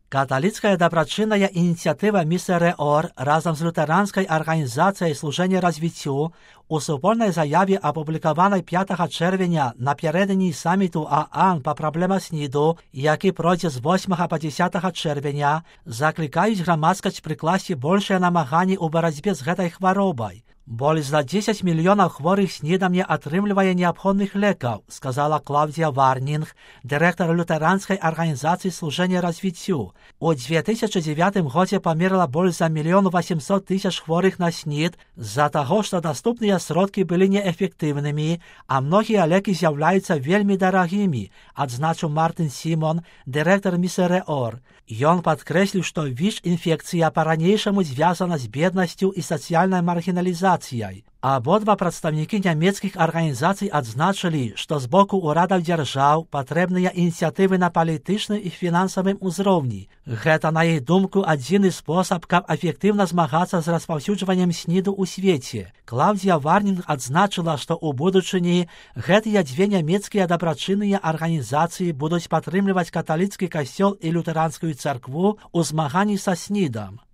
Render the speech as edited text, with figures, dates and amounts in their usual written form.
Католицкая добрачынная ініцыятыва Місеріор разом з лютеранською організацією служення развіцю у супольній заяві, опублікованій 5 червня напередодні саміту ООН по проблемах СНІДу, який пройде з 8 по 10 червня, закликають громадськість прикласти більше намагань у боротьбі з гэтай хворобой. Более за 10 мільйонів хворих СНІДом не атрымлівае необходных лекаў, сказала Клаўдія Варнінг, директор лютеранской организации служения развитию. У 2009 годзе памерла больш за 1 800 000 хворых на СНІД з-за таго, што даступныя сродкі былі неэфектыўнымі, а многія лекі з'яўляюцца вельмі дарагімі, адзначыў Мартин Сімон, директор Місеріор. Ён падкрэсліў, што ВІЧ-інфекцыя па-ранейшаму звязана з беднасцю і сацыяльнай маргіналізацыяй. Абодва прадстаўнікі нямецкіх арганізацый адзначылі, што з боку ўрадаў дзяржаў патрэбныя ініцыятывы на палітычным і фінансавым узроўні. Гэта, на іх думку, адзіны спосаб, каб эфектыўна змагацца з распаўсюджваннем СНІДу ў свеце. Клаўдія Варнінг адзначыла, што ў будучыні гэтыя дзве нямецкія дабрачынныя арганізацыі будуць падтрымліваць каталіцкі касцёл і лютэранскую царкву ў змаганні са СНІДам.